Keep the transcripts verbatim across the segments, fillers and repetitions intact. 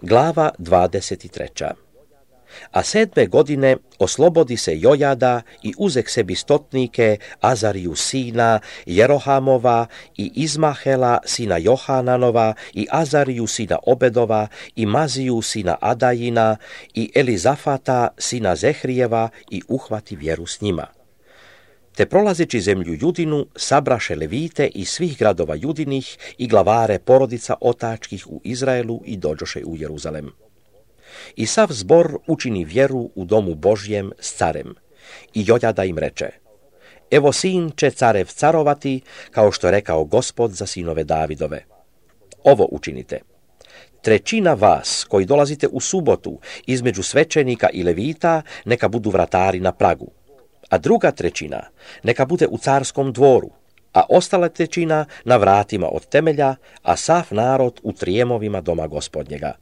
Glava dvadeset treća. A sedme godine oslobodi se Jojada i uzek sebi stotnike Azariju sina Jerohamova i Izmahela sina Johananova i Azariju sina Obedova i Maziju sina Adajina i Elizafata sina Zehrijeva i uhvati vjeru s njima. Te prolazeći zemlju Judinu sabraše levite iz svih gradova Judinih i glavare porodica otačkih u Izraelu i dođoše u Jeruzalem. I sav zbor učini vjeru u domu Božjem s carem. I Jojada im reče: Evo sin će carev carovati, kao što je rekao Gospod za sinove Davidove. Ovo učinite. Trećina vas koji dolazite u subotu između svećenika i levita neka budu vratari na pragu, a druga trećina neka bude u carskom dvoru, a ostala trećina na vratima od temelja, a sav narod u trijemovima doma Gospodnjega.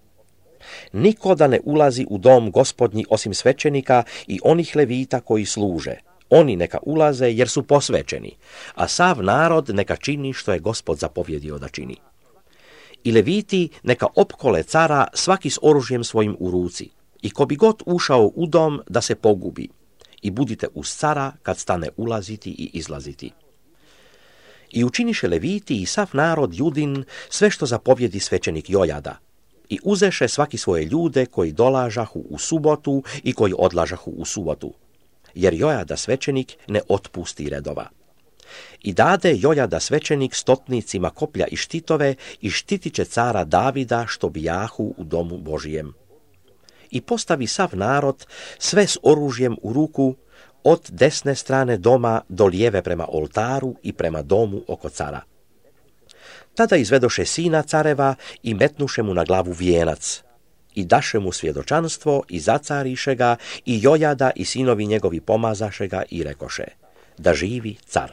Niko da ne ulazi u dom Gospodnji osim svećenika i onih levita koji služe. Oni neka ulaze jer su posvećeni, a sav narod neka čini što je Gospod zapovjedio da čini. I leviti neka opkole cara svaki s oružjem svojim u ruci, i ko bi god ušao u dom da se pogubi, i budite uz cara kad stane ulaziti i izlaziti. I učiniše leviti i sav narod Judin sve što zapovjedi svećenik Jojada, i uzeše svaki svoje ljude koji dolažahu u subotu i koji odlažahu u subotu, jer Jojada svećenik ne otpusti redova. I dade Jojada svećenik stotnicima koplja i štitove i štitit će cara Davida što bijahu u domu Božijem. I postavi sav narod sve s oružjem u ruku od desne strane doma do lijeve prema oltaru i prema domu oko cara. Tada izvedoše sina careva i metnuše mu na glavu vijenac i daše mu svjedočanstvo i zacariše ga i Jojada i sinovi njegovi pomazaše ga i rekoše: da živi car.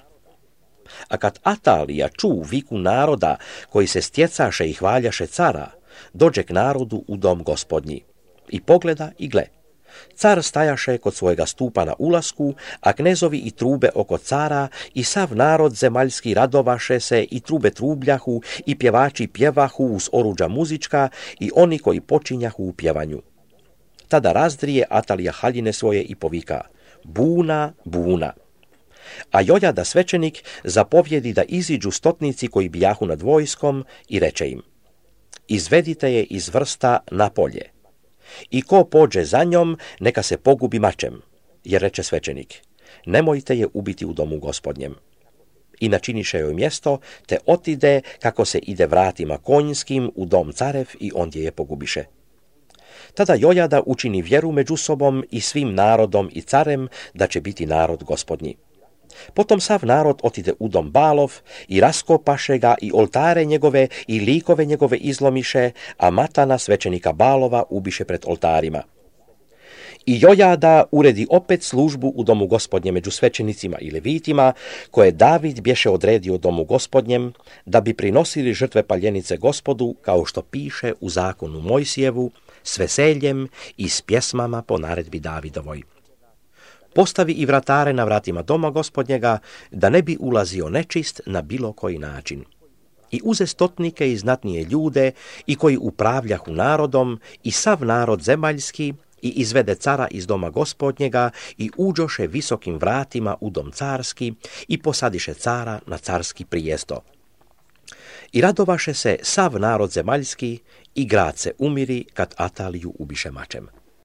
A kad Atalija ču viku naroda koji se stjecaše i hvaljaše cara, dođe k narodu u dom Gospodnji i pogleda i gle. Car stajaše kod svojega stupa na ulasku, a knezovi i trube oko cara i sav narod zemaljski radovaše se i trube trubljahu i pjevači pjevahu uz oruđa muzička i oni koji počinjahu u pjevanju. Tada razdrije Atalija haljine svoje i povika: buna, buna. A Jojada svećenik zapovjedi da iziđu stotnici koji bijahu nad vojskom i reče im: izvedite je iz vrsta na polje. I ko pođe za njom, neka se pogubi mačem, jer reče svećenik: nemojte je ubiti u domu Gospodnjem. I načiniše joj mjesto, te otide kako se ide vratima konjskim u dom carev i ondje je pogubiše. Tada Jojada učini vjeru među sobom i svim narodom i carem da će biti narod Gospodnji. Potom sav narod otide u dom Balov i raskopaše ga i oltare njegove i likove njegove izlomiše, a Matana svećenika Balova ubiše pred oltarima. I Jojada uredi opet službu u domu Gospodnje među svećenicima i levitima, koje David bješe odredio domu Gospodnjem, da bi prinosili žrtve paljenice Gospodu, kao što piše u zakonu Mojsijevu, s veseljem i s pjesmama po naredbi Davidovoj. Postavi i vratare na vratima doma Gospodnjega, da ne bi ulazio nečist na bilo koji način. I uze stotnike i znatnije ljude, i koji upravljahu narodom, i sav narod zemaljski, i izvede cara iz doma Gospodnjega, i uđoše visokim vratima u dom carski, i posadiše cara na carski prijesto. I radovaše se sav narod zemaljski, i grad se umiri kad Ataliju ubiše mačem.